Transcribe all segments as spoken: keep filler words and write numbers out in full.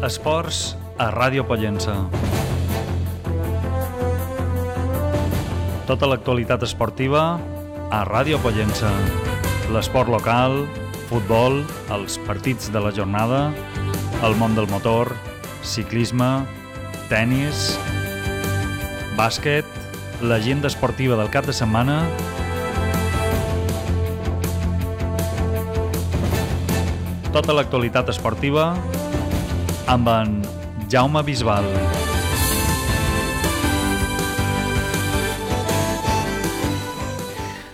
Esports a Ràdio Pollença. Tota l'actualitat esportiva a Ràdio Pollença. L'esport local, futbol, els partits de la jornada, el món del motor, ciclisme, tennis, bàsquet, l'agenda esportiva del cap de setmana, tota l'actualitat esportiva amb en Jaume Bisbal.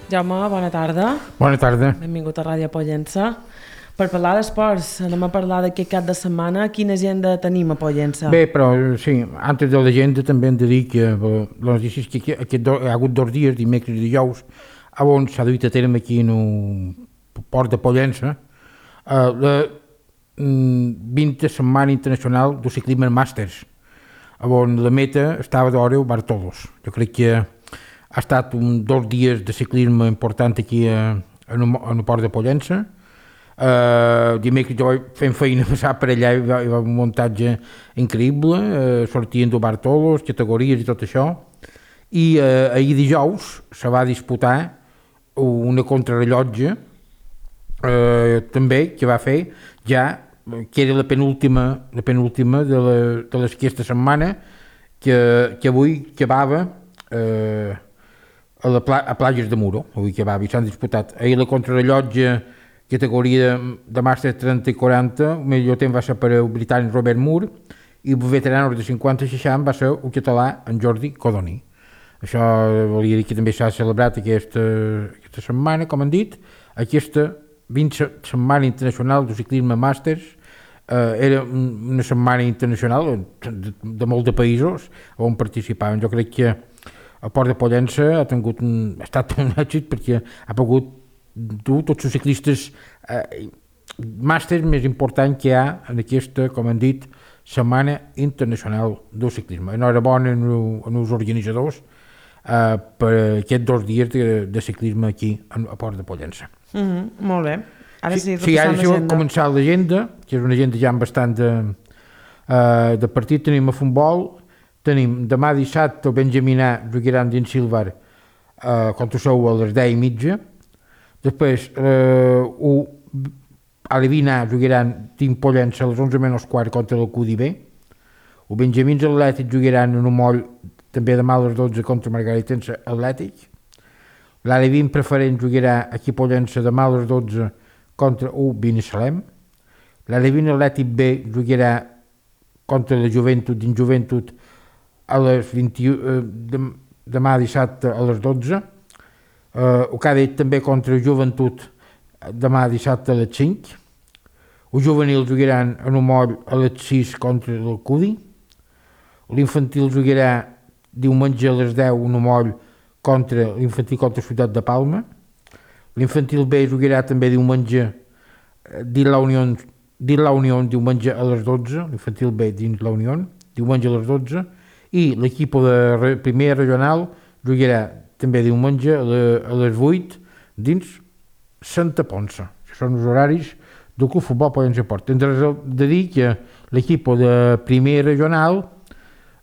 Jaume, bona tarda. Bona tarda. Benvingut a Ràdio Pollença. Per parlar d'esports, anem a parlar d'aquest cap de setmana. Quina agenda tenim a Pollença? Bé, però sí, antes de l'agenda també hem de dir que les notícies que aquest do, hi ha hagut dos dies, dimecres i dijous, on s'ha duit a terme aquí en el port de Pollença, uh, la vintena Setmana Internacional del Ciclisme Màsters, on la meta estava d'hora Bartolos. Jo crec que ha estat un dos dies de ciclisme important aquí a, en, el, en el port de Pollença. Uh, dimecres jo fent feina passar per allà, hi va, hi va un muntatge increïble, uh, sortien de Bartolos, categories i tot això, i uh, ahir dijous se va disputar una contrarrellotge uh, també que va fer ja, que era la penúltima, la penúltima de, la, de les aquesta setmana, que, que avui acabava uh, a, la pla, a Plages de Muro, avui acabava i s'han disputat. Ahir la contrarrellotge categoria de, de màster trenta i quaranta, el millor temps va ser per el britànic Robert Moore i el veterà de cinquanta i seixanta va ser el català en Jordi Codoni. Això volia dir que també s'ha celebrat aquesta, aquesta setmana, com han dit, aquesta vintena Setmana Internacional del Ciclisme Màsters. Eh, era una setmana internacional de, de molts de països on participaven. Jo crec que el Port de Pollença ha, tingut un, ha estat un èxit perquè ha pogut dur tots els ciclistes eh, màsters més important que hi ha en aquesta, com han dit, Setmana Internacional del Ciclisme. Enhorabona en els organitzadors eh, per aquests dos dies de, de ciclisme aquí al Port de Pollença. Mm-hmm, molt bé. Ara sí, sí, ara sí va començar l'agenda, que és una agenda ja amb bastant de, uh, de partit. Tenim a futbol, tenim demà dissabte el Benjamina jugaran dins Silvar uh, contra Sou a les deu i mitja. Després uh, u, a l'Evina jugaran dins Pollença a les onze menys quart contra el Q D B. El Benjamins Atlètic jugaran en un moll també demà a les dotze contra Margaritense Atlètic. L'Alevin Preferent jugarà aquí a Pollença demà a les dotze contra el Binissalem. L'Alevin Atlètic B jugarà contra la Joventut dins Joventut a les vint-i-u, eh, de, demà dissabte a les dotze. Eh, el Cadet també contra la Joventut demà dissabte a les cinc. El Juvenil jugaran en un moll a les sis contra el Cudi. L'infantil jugarà diumenge a les deu en un moll contra l'infantil contra la Ciutat de Palma. L'infantil B jugarà també diumenge dins la Unió, dins la Unió diumenge a les dotze, l'infantil B dins la Unió, diumenge a les dotze, i l'equip de primera regional jugarà també diumenge a, la, a les vuit dins Santa Ponça. Això són els horaris del Club Futbol Pollença Port. Hem de dir que l'equip de primera regional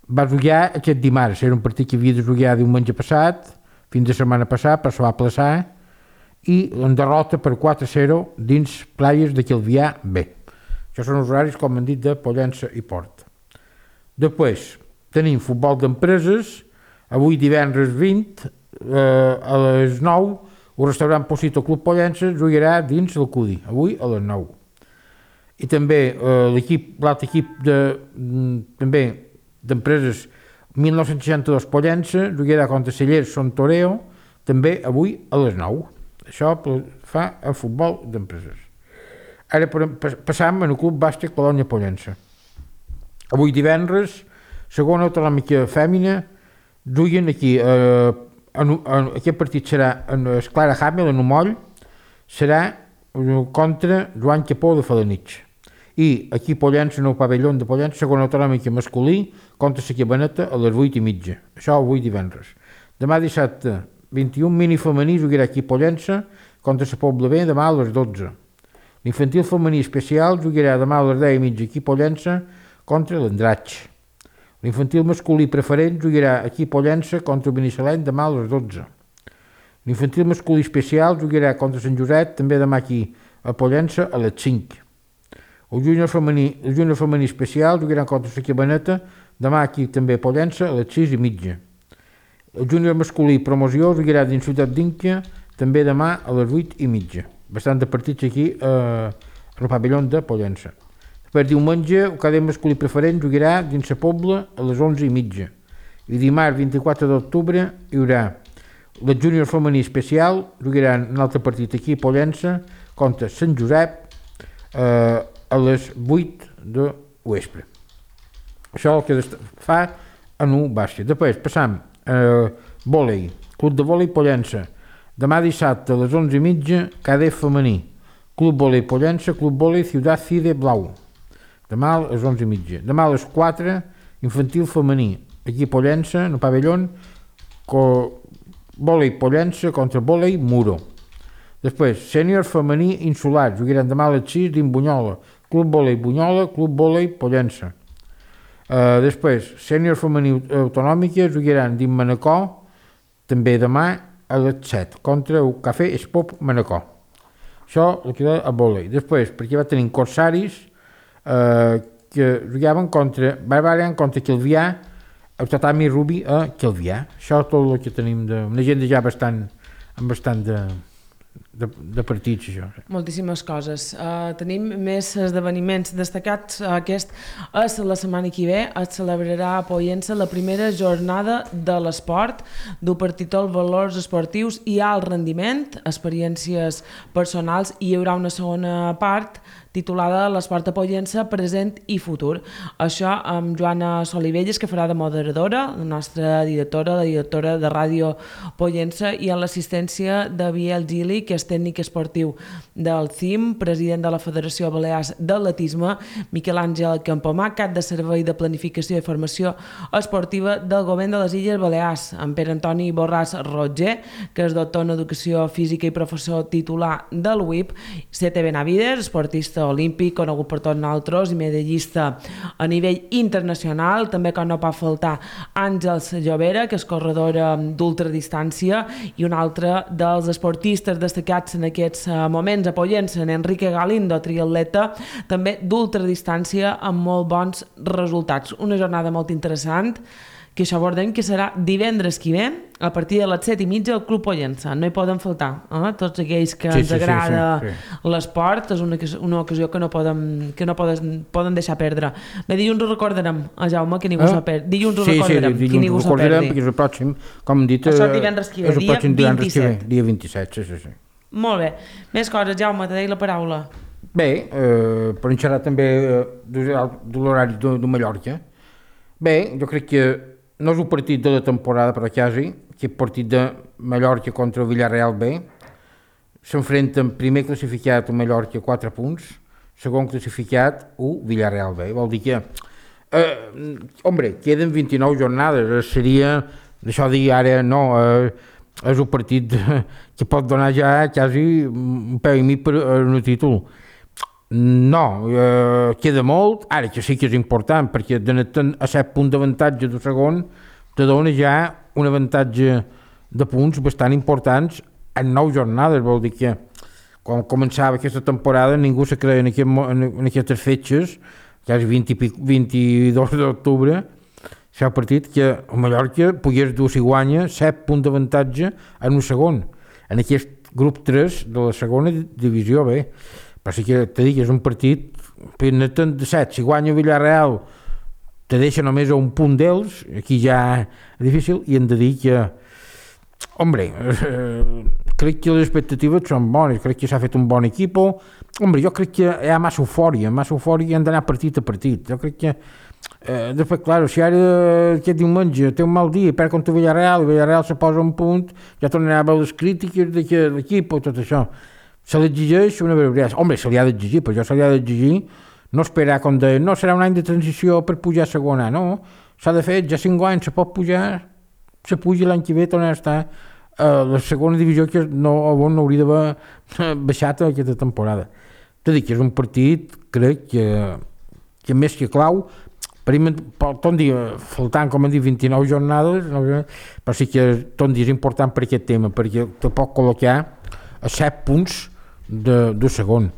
va jugar aquest dimarts, era un partit que havia de jugar diumenge passat, fins de setmana passat, però se va aplaçar, i en derrota per quatre a zero dins Playes de Calvià B. Això són els horaris, com han dit, de Pollença i Port. Després tenim futbol d'empreses, avui divendres vint, eh, a les nou, el restaurant Posito Club Pollença jugarà dins el Cudi, avui a les nou. I també eh, l'equip, l'altre equip de, també d'empreses mil nou-cents seixanta-dos Pollença jugarà contra Cellers Son Toreo, també avui a les nou. Això fa el futbol d'empreses. Ara passam en el Club Bàsquet Colònia Pollença. Avui divendres, segona autonòmica fèmina, juguen aquí. Eh, en, en, aquest partit serà en Esclara Hamel, en un moll, serà contra Joan Capó de Falanich. I aquí Pollença, en el pavelló de Pollença, segona autonòmica masculí, contra la Cabaneta a les vuit i mitja. Això avui divendres. Demà dissabte, vint-i-un mini femení jugarà aquí a Pollença contra la Pobla B demà a les dotze. L'infantil femení especial jugarà demà a les deu i mitja aquí a Pollença contra l'Andratx. L'infantil masculí preferent jugarà aquí a Pollença contra el Binissalem demà a les dotze. L'infantil masculí especial jugarà contra Sant Josep també demà aquí a Pollença a les cinc. El júnior femení, el júnior femení especial jugarà contra la Cabaneta demà aquí també a Pollença a les sis i mitja. El júnior masculí promoció jugarà dins Ciutat d'Inca també demà a les vuit i mitja. Bastant de partits aquí eh, al pavelló de Pollença. Per diumenge, el cadet masculí preferent jugarà dins la Pobla a les onze i mitja. I dimarts vint-i-quatre d'octubre hi haurà el júnior femení especial, jugaran un altre partit aquí a Pollença contra Sant Josep eh, a les vuit de vespre. Això el que fa en un bàsquet. Després passam a eh, vòlei, Club de Vòlei Pollença. Demà dissabte a les onze i mitja, cadet femení. Club Vòlei Pollença, Club Vòlei Ciutat Cide Blau. Demà a les onze i mitja. Demà a les quatre, infantil femení. Aquí a Pollença, en el pavelló, vòlei Pollença contra vòlei Muro. Després, sènior femení insular. Jugaran demà a les sis dins Bunyola. Club Vòlei Bunyola, Club Vòlei Pollença. Uh, després, sènior femení autonòmica. Jugaran dins Manacor, també demà a les set, contra el Cafè Espop Manacor. Això el que queda a vòlei. Després, perquè va tenir corsaris, Uh, que jugaven contra Barbarian contra Calvià, el tatami Rubi a Calvià. Això és tot el que tenim de, una agenda ja bastant amb bastant de, de, de partits. Això. Moltíssimes coses. Uh, tenim més esdeveniments destacats. Aquest és la setmana que ve. Es celebrarà a Pollença la primera jornada de l'esport, du per títol Valors esportius i alt rendiment, experiències personals, i hi haurà una segona part titulada L'esport a Pollença, present i futur. Això amb Joana Solivelles, que farà de moderadora, la nostra directora, la directora de Ràdio Pollença, i amb l'assistència de Biel Gili, que és tècnic esportiu del C I M, president de la Federació Balears d'Atletisme, Miquel Àngel Campomà, cap de servei de planificació i formació esportiva del govern de les Illes Balears, amb Pere Antoni Borràs Roger, que és doctor en educació física i professor titular del U I P, C T Benavides, esportista olímpic, conegut per tots nosaltres i medallista a nivell internacional. També que no pot faltar Àngels Llovera, que és corredora d'ultradistància, i un altre dels esportistes destacats en aquests moments a Pollença, en Enrique Galindo, triatleta, també d'ultradistància amb molt bons resultats. Una jornada molt interessant, que això abordem, que serà divendres que ve, a partir de les set i mitja al Club Pollença. No hi poden faltar. Eh? Tots aquells que sí, ens sí, agrada sí, sí, sí. l'esport, és una, una ocasió que no poden, que no poden, poden deixar perdre. Bé, dilluns ho recordarem, a Jaume, que ningú eh? s'ho perdi. Dilluns ho sí, recordarem, sí, que ningú s'ho perdi. Perquè és el pròxim, com hem dit, això és divendres que ve, dia vint-i-set. Dia vint-i-set, sí, sí, sí. Molt bé. Més coses, Jaume, te deia la paraula. Bé, eh, per xerrar també eh, de l'horari de, de Mallorca. Bé, jo crec que no és un partit de la temporada, però quasi, que és partit de Mallorca contra el Villarreal B. S'enfrenten primer classificat a Mallorca quatre punts, segon classificat u Villarreal B. Vol dir que, eh, hombre, queden vint-i-nou jornades, seria, això dir ara, no, eh, és un partit que pot donar ja quasi un peu i mig per un títol. No, eh, queda molt, ara que sí que és important, perquè donant a set punts d'avantatge del segon, te dona ja un avantatge de punts bastant importants en nou jornades. Vol dir que quan començava aquesta temporada ningú se creia en, aquest, en aquestes fetges, ja és vint i vint-i-dos d'octubre, s'ha partit que a Mallorca pogués dur si guanya set punts d'avantatge en un segon, en aquest grup tres de la segona divisió B. Però sí que te dic, és un partit de set, si guanya Villarreal te deixa només a un punt d'ells, aquí ja és difícil, i hem de dir que, hombre, eh, crec que les expectatives són bones, crec que s'ha fet un bon equip, hombre, jo crec que hi ha massa eufòria, massa eufòria i hem d'anar partit a partit, jo crec que, eh, després, clar, si ara aquest diumenge té un mal dia, perd contra Villarreal, i Villarreal se posa un punt, ja tornarà a veure les crítiques de l'equip o tot això. Se l'exigeix una barbaritat. Home, se li ha d'exigir, però jo se li ha d'exigir no esperar com de, no, serà un any de transició per pujar a segona, no. S'ha de fer, ja cinc anys se pot pujar, se puja l'any que ve, tornar a estar a la segona divisió que no, on no hauria d'haver baixat aquesta temporada. T'he dit que és un partit, crec que, que més que clau, Per mi, tot dia, faltant, com hem dit, vint-i-nou jornades, no? Però sí que tot dia és important per aquest tema, perquè te pot col·locar a set punts de, de segon.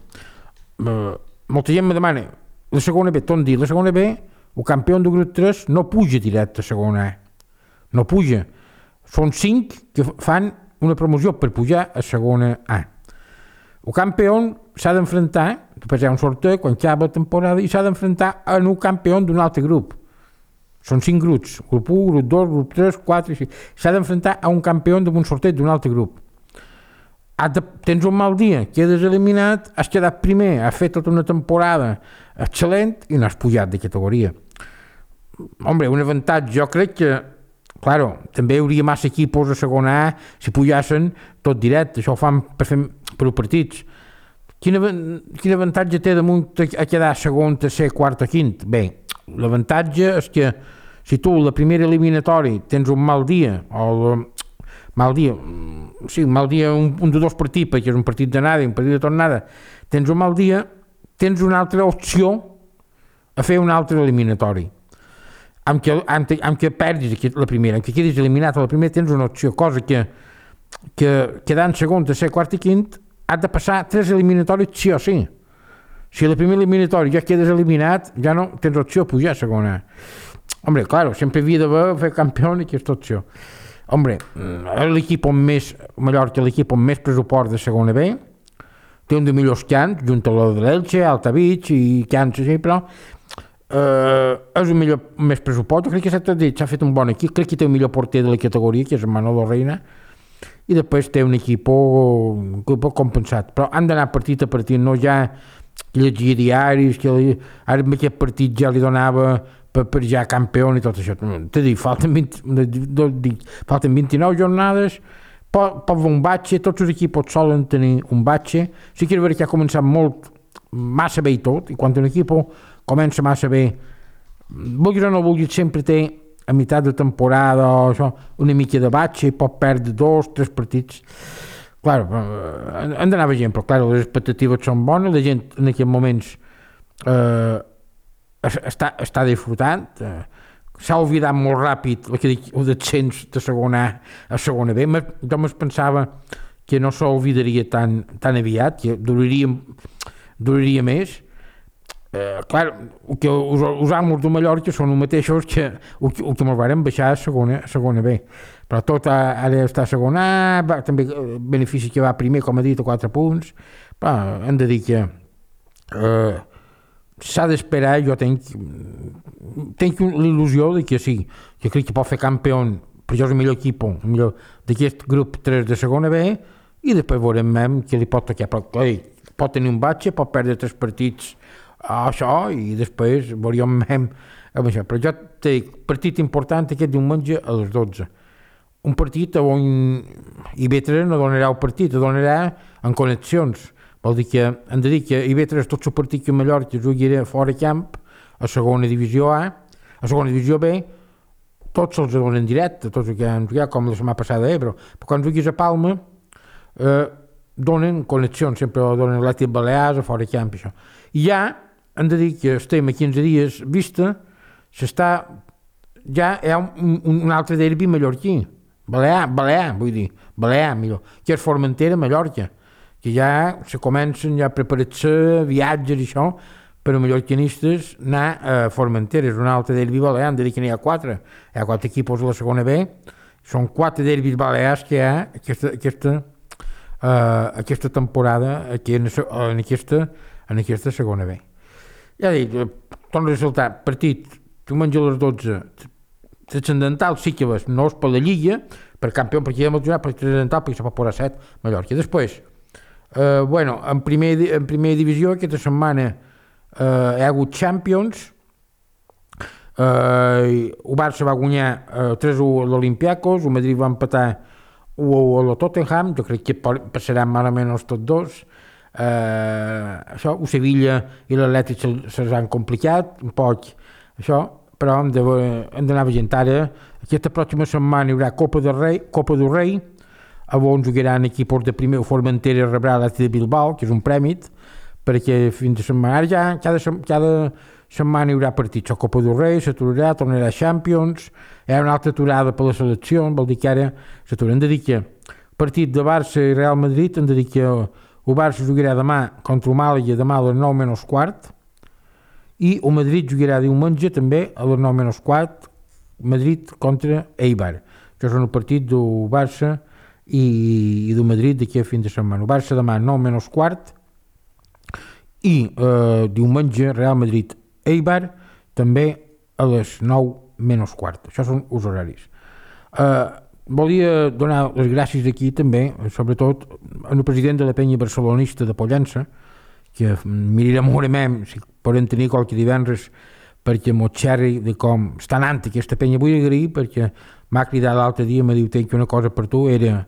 Uh, molta gent me demana, la segona B, tot dia, la segona B, el campió de grup tres no puja directe a segona A. No puja. Són cinc que fan una promoció per pujar a segona A. El campió s'ha d'enfrontar, després hi ha un sorteig quan acaba la temporada, i s'ha d'enfrontar a un campió d'un altre grup. Són cinc grups, grup u, grup dos, grup tres, quatre, cinc. S'ha d'enfrontar a un campió d'un sorteig d'un altre grup. De, tens un mal dia, quedes eliminat, has quedat primer, has fet tota una temporada excel·lent i no has pujat de categoria. Hombre, un avantatge, jo crec que, claro, també hi hauria massa equipos a segona A si pujassen tot directe, això ho fan per fer per partits. Quin, quin avantatge té damunt a quedar segon, tercer, quart o quint? Bé, l'avantatge és que si tu la primera eliminatori tens un mal dia, o la, mal dia, sí, un mal dia, un, un de dos partits, perquè és un partit d'anada i un partit de tornada, tens un mal dia, tens una altra opció a fer un altre eliminatori. Amb que, amb, amb que perdis la primera, amb que quedis eliminat a la primera, tens una opció, cosa que, que quedant segon, tercer, quart i quint, has de passar tres eliminatoris sí o sí. Si a la primera eliminatori ja quedes eliminat, ja no tens opció a pujar a segona. Hombre, claro, sempre havia d'haver fer campió i aquesta opció. Hombre, l'equip amb més, Mallorca, l'equip amb més pressupost de segona B, té un de millors cants, junt a la de l'Elche, Altavich i cants així, però eh, és un millor més pressupost. Jo crec que s'ha fet un bon equip, crec que té un millor porter de la categoria, que és Manolo Reina, i després té un equip, un equip compensat. Però han d'anar partit a partit, no ja llegir diaris, que li, ara amb aquest partit ja li donava per, per ja campió i tot això. T'he dit, falten, vint, falten vint-i-nou jornades, pot, pot haver un batxe, tots els equips solen tenir un batxe. Sí que és veritat que ha començat molt, massa bé i tot, i quan un equip comença massa bé, vulguis o no vulguis, sempre té a meitat de temporada o això, una mica de batxe, i pot perdre dos, tres partits. Claro, han d'anar veient, però claro, les expectatives són bones, la gent en aquests moments eh, està, està disfrutant, eh, s'ha oblidat molt ràpid el descens de segona A a segona B. Jo me'n pensava que no s'oblidaria tan, tan aviat, que duraria, duraria més. Eh, clar, que els, els amos de Mallorca són els mateixos que el que, que me'ls varen baixar a segona, a segona B, però tot ara està a segona A, va, també benefici que va primer, com he dit, a quatre punts, però hem de dir que eh, s'ha d'esperar. Jo tenc, tenc l'il·lusió de que sí, que crec que pot fer campió, però jo és el millor equip, el millor d'aquest grup tres de segona B, i després veurem que li pot tocar, però clar, pot tenir un batxe, pot perdre tres partits a això, i després veuríem amb això. Però jo te dic, partit important aquest diumenge a les dotze. Un partit on I B tres no donarà el partit, el donarà en connexions. Vol dir que hem de dir que I B tres, tot el partit que Mallorca jugarà fora camp, a segona divisió A, a segona divisió B, tots els donen en directe, tots els que han jugat, com la setmana passada a Ebro. Però quan juguis a Palma, eh, donen connexions, sempre donen l'Atlètic Balears, a fora camp, això. I ja hem de dir que estem a quinze dies vista, s'està, ja hi ha un, un altre derbi mallorquí, Balear, Balear, vull dir, Balear, millor, que és Formentera, Mallorca, que ja se comencen ja a preparar-se viatges i això, per a mallorquinistes anar a Formentera, és un altre derbi balear. Hem de dir que n'hi ha quatre, hi ha quatre equipos a la segona B, són quatre derbis balears que hi ha aquesta, aquesta, uh, aquesta temporada aquí en, en, aquesta, en aquesta segona B. Ja dic, torno a ressaltar, partit, diumenge a les dotze, transcendental sí que ves, no és per la Lliga, per campió, perquè ja hem jugat per transcendental, perquè se pot posar set, Mallorca. Després, eh, bueno, en primer, en primera divisió, aquesta setmana eh, hi ha hagut Champions, eh, el Barça va guanyar eh, tres a u a l'Olympiacos, el Madrid va empatar u a u a la Tottenham, jo crec que passaran més o menys tots dos. Uh, això, el Sevilla i l'Atlètic se'ls han complicat un poc, això, però hem d'anar veient ara. Aquesta pròxima setmana hi haurà Copa del Rei, Copa del Rei, on jugaran equips de primer. Formentera rebrà l'Atlètic de Bilbao, que és un prèmit, perquè fins a setmana, ara ja cada, cada setmana hi haurà partits, la Copa del Rei s'aturarà, tornarà a Champions, hi ha una altra aturada per la selecció, vol dir que ara s'atura. Hem de dir que partit de Barça i Real Madrid, hem de dir que el Barça jugarà demà contra el Màlaga, demà a les nou menys quart, i el Madrid jugarà diumenge també a les nou menys quart, Madrid contra Eibar. Això és un partit del Barça i, i del Madrid d'aquí a fin de setmana. El Barça demà a nou menys quart i eh, diumenge Real Madrid Eibar també a les nou menys quart. Això són els horaris. Eh, volia donar les gràcies aquí també, sobretot al president de la penya barcelonista de Pollença, que mirarem veurem si podem tenir qualque divendres perquè m'ho xerri de com està anant aquesta penya. Vull agrair perquè m'ha cridat l'altre dia, m'ha dit que una cosa per tu era,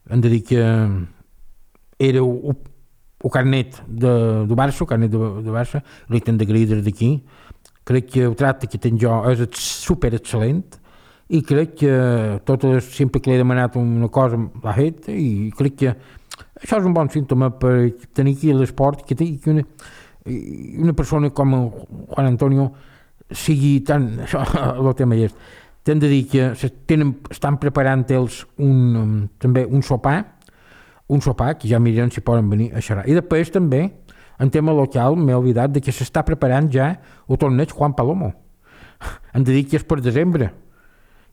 hem de dir que era el, el carnet de, de Barça, el carnet de, de Barça, li t'hem d'agrair des d'aquí. Crec que el tracte que tenc jo és super excel·lent i crec que tot, sempre que l'he demanat una cosa l'ha fet i crec que això és un bon símptoma per tenir aquí l'esport, que, que una, una persona com Juan Antonio sigui tan... Això, el tema és... T'hem de dir que tenen, estan preparant ells un, també un sopar, un sopar que ja mirem si poden venir a xerrar. I després també, en tema local, m'he oblidat de que s'està preparant ja el torneig Juan Palomo. Hem de dir que és per desembre.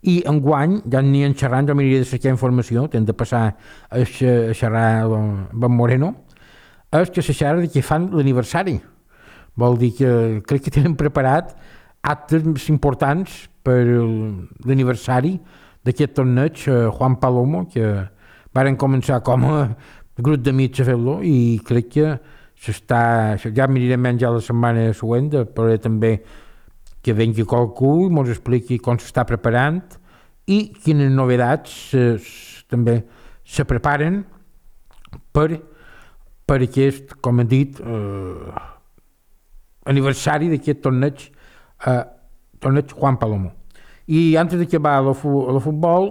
I enguany, ja n'hi ha xerrant, jo m'aniria de cercar informació, t'hem de passar a xerrar amb en Moreno, és que se xerra de que fan l'aniversari. Vol dir que crec que tenen preparat actes importants per l'aniversari d'aquest torneig Juan Palomo, que varen començar com a grup d'amics a fer-lo i crec que s'està, ja mirarem ja la setmana següent, però també que vengui qualcú i ens expliqui com s'està preparant i quines novetats eh, també se preparen per, per aquest, com he dit, eh, aniversari d'aquest torneig, eh, torneig Juan Palomo. I antes d'acabar el futbol,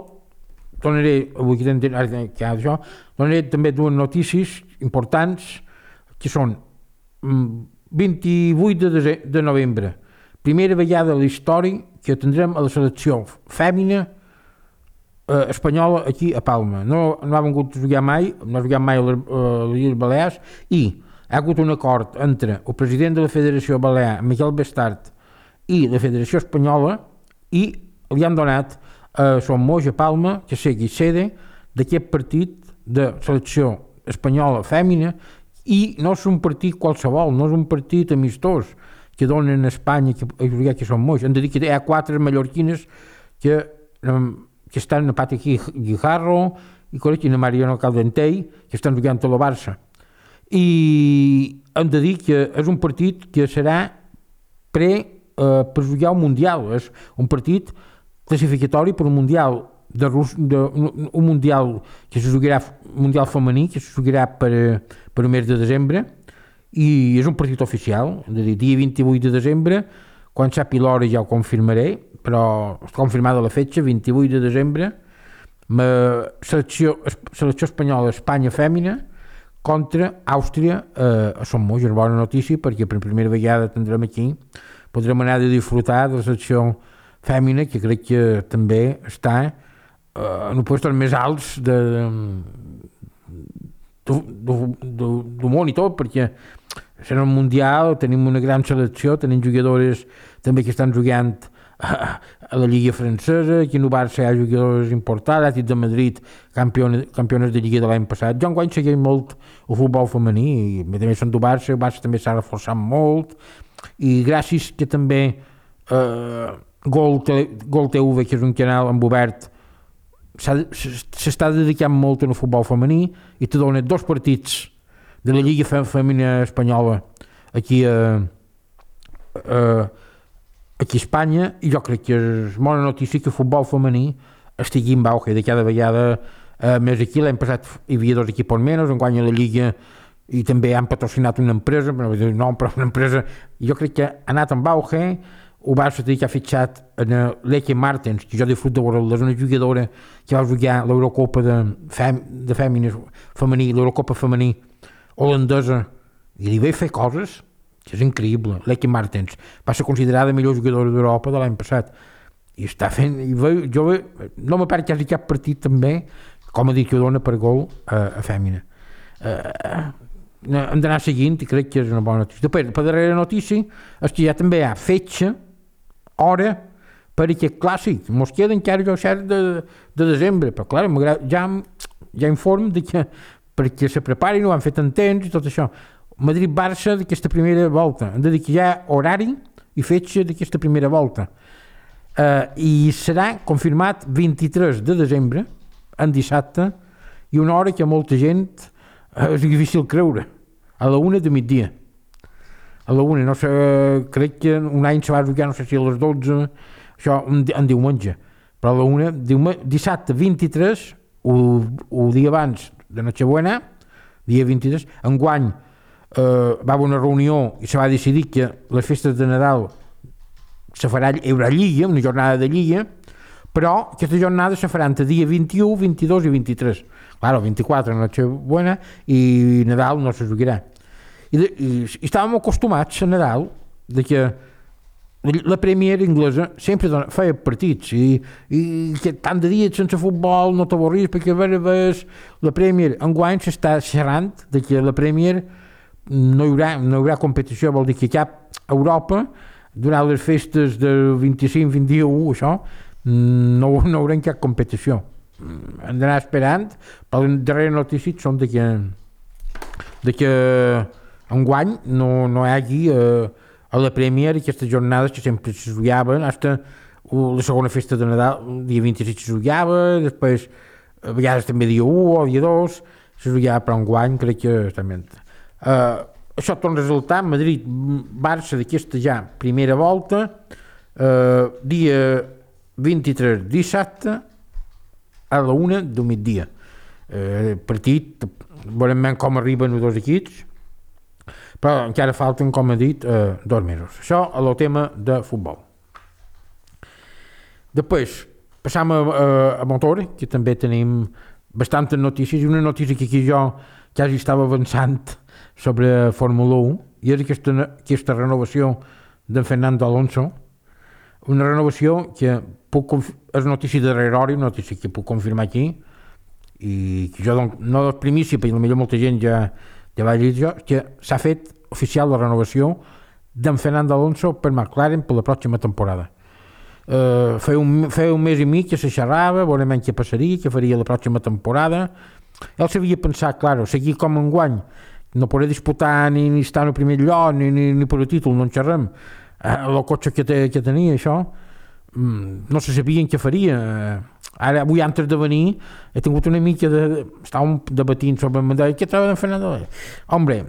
tornaré, avui que tenen que això, tornaré també dues notícies importants que són vint-i-vuit de, de novembre, primera vegada a la història que tindrem a la selecció fèmina eh, espanyola aquí a Palma. No, no ha vingut a jugar mai, no ha jugat mai a les, a les Illes Balears i ha hagut un acord entre el president de la Federació Balear, Miquel Bestart, i la Federació Espanyola i li han donat a Son Moix a Palma que sigui sede d'aquest partit de selecció espanyola fèmina i no és un partit qualsevol, no és un partit amistós que donen a Espanya a jugar que Son Moix. Hem de dir que hi ha quatre mallorquines que, que estan a Pati Guijarro i i a Mariano Caldentei que estan jugant a la Barça. I hem de dir que és un partit que serà pre, eh, per jugar un Mundial, és un partit classificatori per un Mundial de, Rus, de un Mundial que se jugarà, Mundial femení, que se jugarà per, per el mes de desembre i és un partit oficial, és a dir, dia vint-i-vuit de desembre, quan sàpiga l'hora ja ho confirmaré, però està confirmada la fetge, vint-i-vuit de desembre, selecció, selecció espanyola Espanya fèmina contra Àustria eh, a Son Moix. És una bona notícia perquè per primera vegada tindrem aquí, podrem anar a disfrutar de la selecció fèmina, que crec que també està eh, en els llocs més alts de, de, de, de, de món i tot, perquè serà un mundial, tenim una gran selecció, tenim jugadores també que estan jugant a, a la Lliga francesa, aquí en el Barça hi ha jugadors importants, l'Atlètic de Madrid, campiones, campiones de Lliga de l'any passat. Jo enguany segueix molt el futbol femení, i també són del Barça, el Barça també s'ha reforçat molt, i gràcies que també eh, Gol, Gol T V, que és un canal amb obert, s'està dedicant molt al futbol femení i te dona dos partits de la Lliga Femenina Espanyola aquí a, a, aquí a Espanya, i jo crec que és bona notícia que el futbol femení estigui en auge de cada vegada eh, més aquí. L'any passat hi havia dos equips menys, enguany a la Lliga, i també han patrocinat una empresa, però no, però una empresa, jo crec que ha anat en auge. El Barça que ha fitxat en l'Eke Martens, que jo disfruto de veure, és una jugadora que va jugar l'Eurocopa de, fem, de fèmines femení, l'Eurocopa femení holandesa, i li vaig fer coses que és increïble. L'Eki Martens va ser considerada la millor jugadora d'Europa de l'any passat i està fent, i ve, jo ve, no me perd quasi cap partit també, com a dit que dona per gol a, a Fèmina. Uh, hem d'anar seguint i crec que és una bona notícia. Després, per darrere notícia és que ja també hi ha fetge, hora per aquest clàssic. Mos queda encara el set de, de desembre, però clar, ja, ja inform de que perquè se preparin, ho han fet en temps i tot això. Madrid-Barça d'aquesta primera volta. Hem de dir que hi ha horari i fetge d'aquesta primera volta. Uh, I serà confirmat vint-i-tres de desembre, en dissabte, i una hora que molta gent uh, és difícil creure, a la una de migdia. A la una, no sé, crec que un any se va jugar, no sé si a les dotze, això en diumenge, però a la una, diumenge, dissabte vint-i-tres, el dia abans de Nochebuena, dia vint-i-tres, enguany eh, va haver una reunió i se va decidir que les festes de Nadal se farà, hi haurà lliga, una jornada de lliga, però aquesta jornada se farà entre dia vint-i-u, vint-i-dos i vint-i-tres. Claro, vint-i-quatre Nochebuena i Nadal no se jugarà. I, de, i, i estàvem acostumats a Nadal de que la Premier inglesa sempre dona, feia partits i, i que tant de dies sense futbol no t'avorris perquè a veure ves la Premier. Enguany s'està xerrant de que la Premier no hi haurà, no hi haurà competició, vol dir que cap Europa durant les festes del vint-i-cinc vint-i-u, això, no, no haurem cap competició. Hem d'anar esperant, però les darreres notícies són de que, de que enguany no, no hi hagi eh, a la Premier aquestes jornades que sempre se jugaven, fins la segona festa de Nadal, el dia vint-i-sis se jugava, després a vegades també dia u o dia dos, se jugava, però enguany crec que també... Uh, això torna a resultar Madrid-Barça d'aquesta ja primera volta, uh, dia vint-i-tres dissabte a la una del migdia. Uh, partit, veurem com arriben els dos equips, però encara falten, com he dit, uh, dos mesos. Això a el tema de futbol. Després, passam a, a, a motor, que també tenim bastantes notícies, i una notícia que aquí jo quasi estava avançant sobre Fórmula u, i és aquesta, aquesta renovació de Fernando Alonso, una renovació que puc, és notícia de darrere hora, una notícia que puc confirmar aquí, i que jo no és primícia, perquè potser molta gent ja, ja va dir jo, que s'ha fet oficial la renovació d'en Fernando Alonso per McLaren per la pròxima temporada. Uh, feia, un, feia un mes i mig que se xerrava, veurem què passaria, què faria la pròxima temporada. Ell s'havia pensat, clar, seguir com enguany, no podré disputar ni, ni estar en el primer lloc, ni, ni, ni per el títol, no en xerrem. Eh, el cotxe que, te, que tenia, això, mm, no se sabien què faria. Ara, avui, antes de venir, he tingut una mica de... Estàvem debatint sobre el mandat. Què troba en Fernando? Hombre,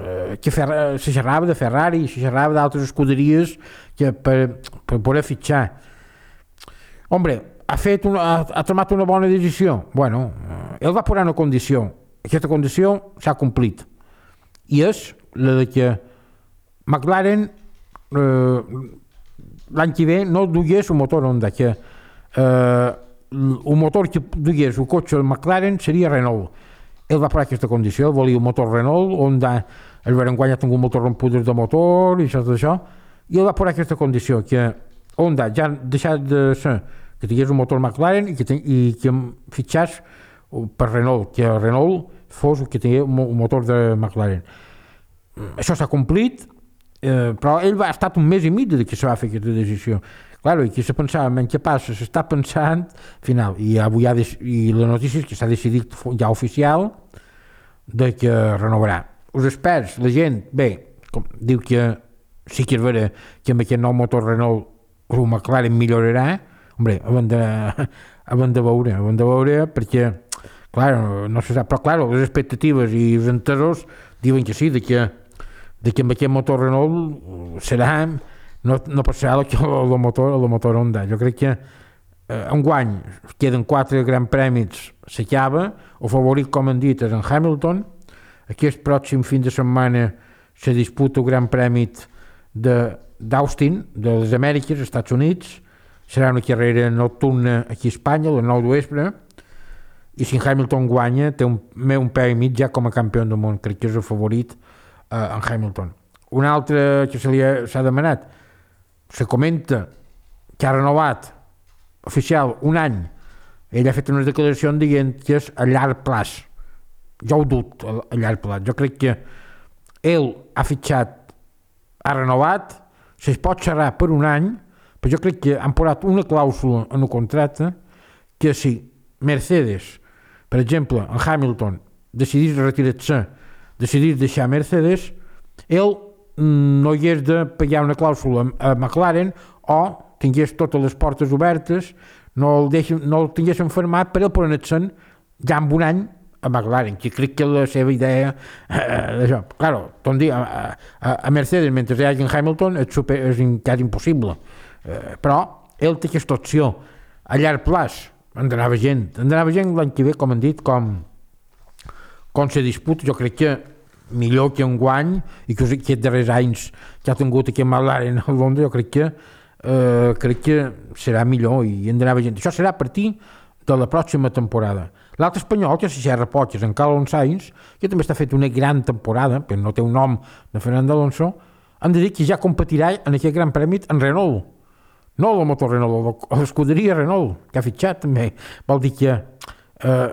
eh, que Ferra, se xerrava de Ferrari, se xerrava d'altres escuderies que per, per poder fitxar. Hombre, ha, fet una, ha, ha tomat una bona decisió. Bueno, eh, ell va posar una condició. Aquesta condició s'ha complit. I és la de que McLaren eh, l'any que ve no dugués un motor Honda, que eh, el motor que dugués el cotxe del McLaren seria Renault. Ell va posar aquesta condició, volia un motor Renault, Honda el Berenguany ha tingut moltes rompudes de motor i això, tot això, i ell va posar aquesta condició, que Honda ja ha deixat de ser que tingués un motor McLaren i que, ten, i que fitxàs per Renault, que Renault fos el que tenia un motor de McLaren. Això s'ha complit, eh, però ell va estar un mes i mig de que se va fer aquesta decisió. Claro, i qui se pensava, en què passa? S'està pensant, final, i avui ha de, i la notícia és que s'ha decidit ja oficial de que renovarà. Els experts, la gent, bé, com, diu que sí que és vera que amb aquest nou motor Renault el McLaren millorarà. Hombre, hem de, hem de veure, hem de veure perquè clar, no se sap, però clar, les expectatives i els entesos diuen que sí, de que, de que amb aquest motor Renault serà, no, no passarà el, el, motor, el motor Honda. Jo crec que eh, enguany queden quatre grans premis, s'acaba, el favorit, com han dit, és en Hamilton. Aquest pròxim fin de setmana se disputa el gran premi d'Austin, de les Amèriques, als Estats Units. Serà una carrera nocturna aquí a Espanya, a les nou de vespre. I si Hamilton guanya, té un, un peu i mig ja com a campió del món. Crec que és el favorit en Hamilton. Un altre que se li ha, s'ha demanat, se comenta que ha renovat oficial un any. Ell ha fet unes declaracions dient que és a llarg plaç. Jo ho dut a, a llarg plaç. Jo crec que ell ha fitxat, ha renovat, se'ls pot xerrar per un any, però jo crec que han posat una clàusula en el contracte que si Mercedes, per exemple, en Hamilton, decidís retirar-se, decidís deixar Mercedes, ell no hi hagués de pagar una clàusula a McLaren o tingués totes les portes obertes, no el, deixen, no el tinguessin firmat per el poner-se'n ja en un any a McLaren, que crec que la seva idea eh, d'això. Claro, dir, a, a, a Mercedes, mentre hi hagi en Hamilton, és, super, és quasi impossible. Eh, però ell té aquesta opció a llarg plaç. Han d'anar veient. Han d'anar veient l'any que ve, com han dit, com, com se disputa. Jo crec que millor que un guany i que aquests darrers anys que ha tingut aquí a McLaren a Londres, jo crec que eh, crec que serà millor i hem d'anar veient. Això serà a partir de la pròxima temporada. L'altre espanyol, que és Serra Potges, en Carlos Sainz, que també està fet una gran temporada, però no té un nom de Fernando Alonso, han de dir que ja competirà en aquest gran premi en Renault. No el motor Renault, l'escuderia Renault, que ha fitxat també. Vol dir que eh,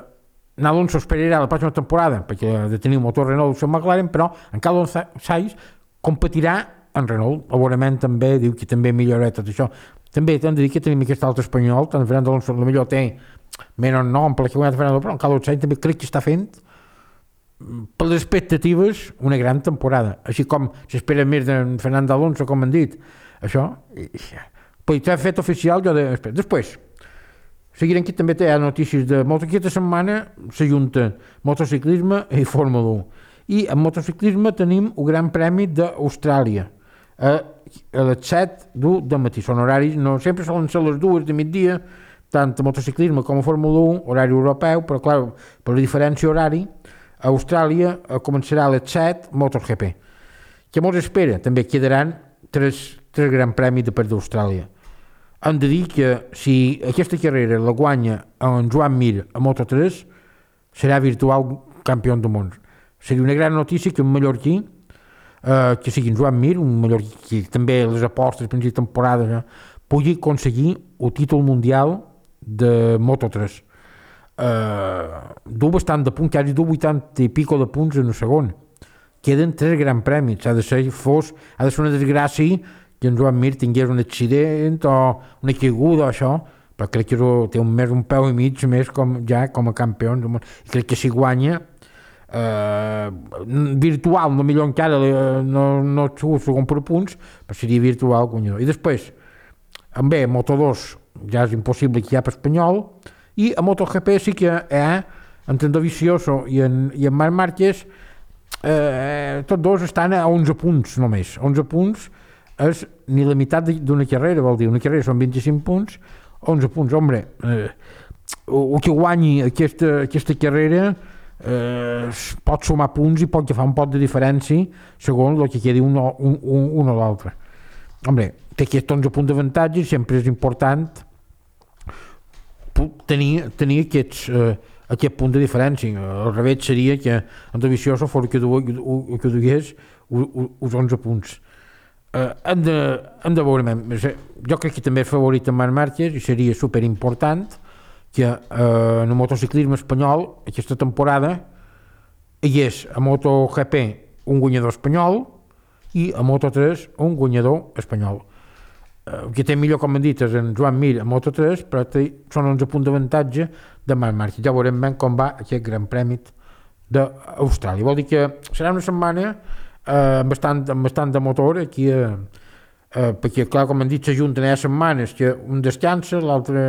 Alonso esperarà la pròxima temporada perquè ha de tenir un motor Renault al McLaren, però en Carlos Sainz competirà en Renault. Segurament també diu que també millorarà tot això. També hem de dir que tenim aquest altre espanyol, tant Fernando Alonso millor té menys nom per la que guanyat Fernando, però en Carlos Sainz també crec que està fent per les expectatives una gran temporada. Així com s'espera més de Fernando Alonso, com han dit. Això, però s'ha fet oficial jo de... Després, seguirem que també té notícies de moto. Aquesta setmana s'ajunten motociclisme i Fórmula un. I en motociclisme tenim el Gran Premi d'Austràlia a, a les set del matí. Són horaris, no sempre solen ser les dues de migdia, tant a motociclisme com a Fórmula un, horari europeu, però clar, per la diferència horari, a Austràlia començarà a les set MotoGP. Què mos espera? També quedaran tres, tres Gran Premis de part d'Austràlia. Hem de dir que si aquesta carrera la guanya en Joan Mir a Moto tres, serà virtual campió del món. Seria una gran notícia que un mallorquí, eh, que sigui en Joan Mir, un mallorquí que també les apostes per la temporada, eh, pugui aconseguir el títol mundial de Moto tres. Eh, du bastant de punts, quasi du vuitanta i pico de punts en el segon. Queden tres grans premis. Ha de ser, fos, ha de ser una desgràcia que en Joan Mir tingués un accident o una caiguda o això, però crec que té un, més, un peu i mig més com, ja com a campió. Crec que si guanya eh, virtual, no millor encara, no, no segon per punts, però seria virtual guanyador. I després, en bé, Moto dos ja és impossible que hi ha per espanyol, i a MotoGP sí que hi ha entre en Dovizioso i en, i en Marc Márquez, eh, tots dos estan a onze punts només. onze punts és ni la meitat d'una carrera, vol dir, una carrera són vint-i-cinc punts, onze punts, home, eh, el que guanyi aquesta, aquesta carrera eh, pot sumar punts i pot agafar un pot de diferència segons el que quedi un, un, un, un o l'altre. Home, té aquests onze punts d'avantatge, sempre és important tenir, tenir aquests, eh, aquest punt de diferència. Al revés seria que en Dovizioso fos que dugués els onze punts. Uh, hem, de, hem de veure, jo crec que també és favorit en Marc Márquez i seria superimportant que uh, en el motociclisme espanyol aquesta temporada hi és a MotoGP un guanyador espanyol i a Moto tres un guanyador espanyol. Uh, el que té millor, com hem dit, és en Joan Mir a Moto tres, però té, són onze punts d'avantatge de Marc Márquez. Ja veurem ben com va aquest Gran Premi d'Austràlia. Vol dir que serà una setmana Uh, bastant, bastant de motor aquí, uh, uh, perquè clar, com han dit, s'ajunten hi ha setmanes que un descansa, l'altre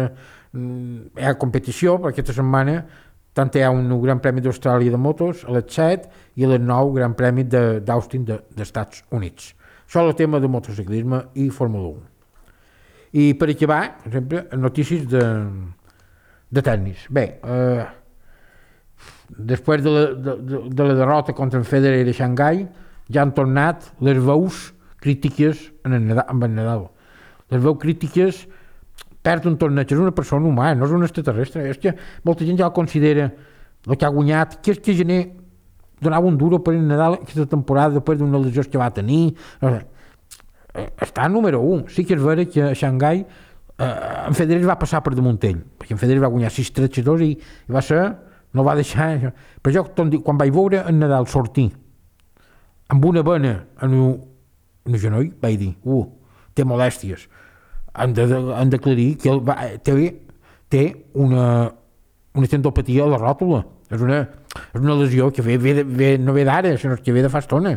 um, hi ha competició, perquè aquesta setmana tant hi ha un Gran Premi d'Austràlia de motos a les set i a les nou Gran Premi d'Austin de, d'Estats Units. Això és el tema de motociclisme i Fórmula un. I per acabar, per exemple, notícies de, de tennis. Bé, uh, després de la, de, de, de la derrota contra en Federer a Xangai, ja han tornat les veus crítiques en el Nadal, amb el Nadal. Les veus crítiques perd un torneig, és una persona humana, no és un extraterrestre. És que molta gent ja el considera el que ha guanyat, que és que gener donava un duro per el Nadal aquesta temporada després d'una lesió que va tenir. No sé. Està número un. Sí que és vera que a Xangai eh, en Federer va passar per damunt ell, perquè en Federer va guanyar sis tres dos i, i va ser, no va deixar... Però jo, quan vaig veure en Nadal sortir amb una vena en el, en el genoll, vaig dir, uh, té molèsties. Han de, han d'aclarir que ell va, té, té una, una tendopatia a la ròtula. És una, és una lesió que ve, ve, ve, no ve d'ara, sinó que ve de fa estona.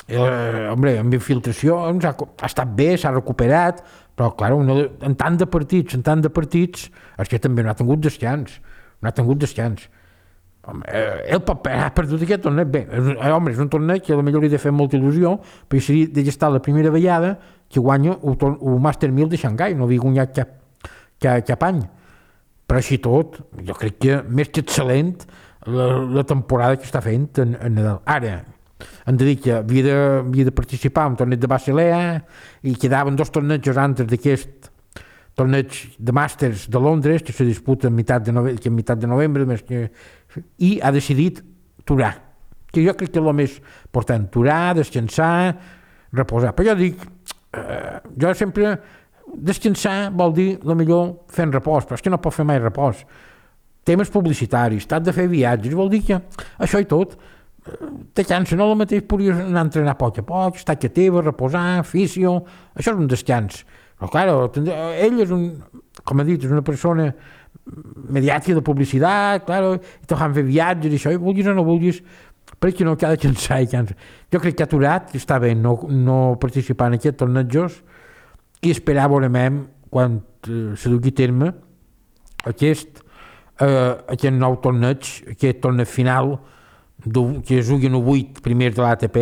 Eh, home, amb infiltracions ha, ha estat bé, s'ha recuperat, però clar, una, en tant de partits, en tant de partits, és que també no ha tingut descans, no ha tingut descans. Home, eh, ell ha perdut aquest torneig bé, és, eh, home, és un torneig que potser li ha de fer molta il·lusió, perquè seria de estar la primera vegada que guanya el, el Master mil de Xangai, no havia guanyat cap, cap, cap any. Però així tot, jo crec que més que excel·lent la, la temporada que està fent en, en Nadal. Ara, hem de dir que havia de, havia de participar en un torneig de Basilea i quedaven dos tornejos antes d'aquest torneig de Màsters de Londres que se disputa a meitat de novembre, que a meitat de novembre més que, i ha decidit aturar, que jo crec que és el més important, aturar, descansar, reposar. Però jo dic, eh, jo sempre descansar vol dir la millor fent repòs, però és que no pot fer mai repòs. Temes publicitaris, t'has de fer viatges, vol dir que això i tot te cansa, no el mateix podries anar a entrenar a poc a poc, estar a teva, reposar, fisio, això és un descans. Però clar, ell és un, com he dit, és una persona mediàtica de publicitat, clar, i te fan fer viatges i això, i vulguis o no vulguis, perquè no cada cansar i cansa. Jo crec que ha aturat, que està bé no, no participar en aquests tornejos i esperar veurem quan eh, se dugui terme aquest, eh, aquest nou torneig, aquest torneig final que es juguen el vuit primers de l'A T P,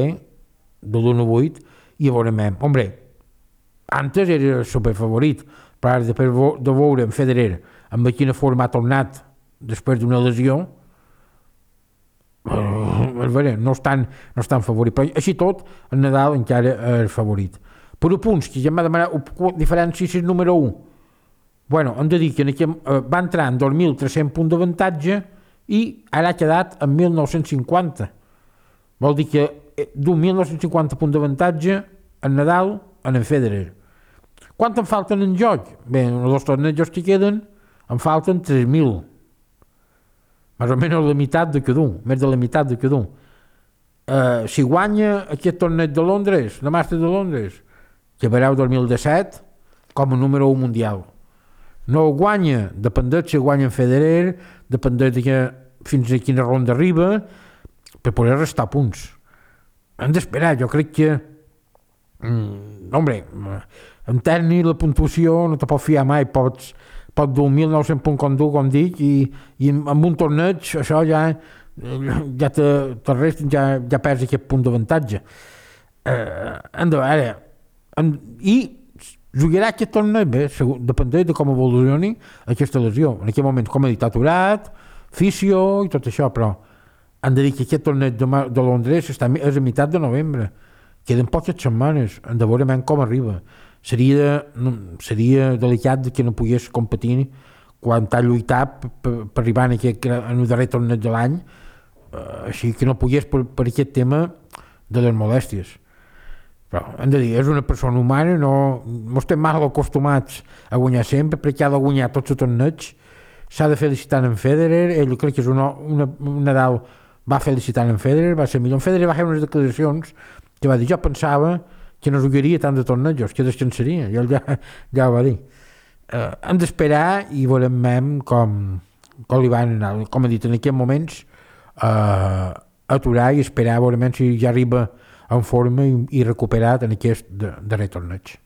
de l'u vuit, i veurem. Hombre, antes era superfavorit, però després de veure en Federer amb quina forma ha tornat després d'una lesió, eh, no és tan, no és tan favorit. Però així tot, el Nadal encara és favorit. Per a punts, que ja m'ha demanat diferència si és número un. Bueno, hem de dir que aquí, eh, va entrar en dos mil tres-cents punts d'avantatge i ara ha quedat en mil nou-cents cinquanta. Vol dir que d'un mil nou-cents cinquanta punts d'avantatge en Nadal en en Federer. Quant em falten en joc? Bé, els tornejos que queden em falten tres mil. Més o menys la meitat de cada un, més de la meitat de cada un. Uh, si guanya aquest torneig de Londres, la Màster de Londres, que vereu dos mil disset com a número un mundial. No ho guanya, dependeix si guanya en Federer, dependeix de que, fins a quina ronda arriba, per poder restar punts. Hem d'esperar, jo crec que mm, hombre, en tècnic la puntuació no te pot fiar mai, pots, pot dur mil nou-cents punts com dur, com dic, i, i amb un torneig això ja, ja te, te rest, ja, ja perds aquest punt d'avantatge. Eh, hem de veure, hem, i jugarà aquest torneig bé, dependeix de com evolucioni aquesta lesió. En aquest moment, com he dit, aturat, fisio i tot això, però han de dir que aquest torneig de, de Londres està, és a meitat de novembre. Queden poques setmanes, hem de veure com arriba. Seria, seria delicat que no pogués competir quan t'ha lluitat per, per, per arribar en, aquest, en el darrer torneig de l'any, uh, així que no pogués per, per aquest tema de les molèsties. Però hem de dir, és una persona humana, no, no estem mal acostumats a guanyar sempre, perquè ha de guanyar tots els torneigs, s'ha de felicitar en Federer, ell crec que és una, una, un Nadal va felicitar en Federer, va ser millor. En Federer va fer unes declaracions que va dir, jo pensava que no jugaria tant de tornejos, que descansaria, i ell ja, ja ho va dir. Uh, hem d'esperar i veurem com, com li van anar, com he dit, en aquests moments, uh, aturar i esperar, veurem si ja arriba en forma i, i recuperat en aquest darrer torneig.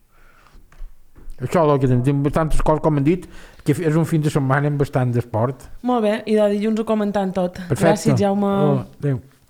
Això és el que tenim, bastantes coses, com hem dit, que és un fin de setmana amb bastant d'esport. Molt bé, i de dilluns ho comentant tot. Perfecte. Gràcies, Jaume. Oh, adéu.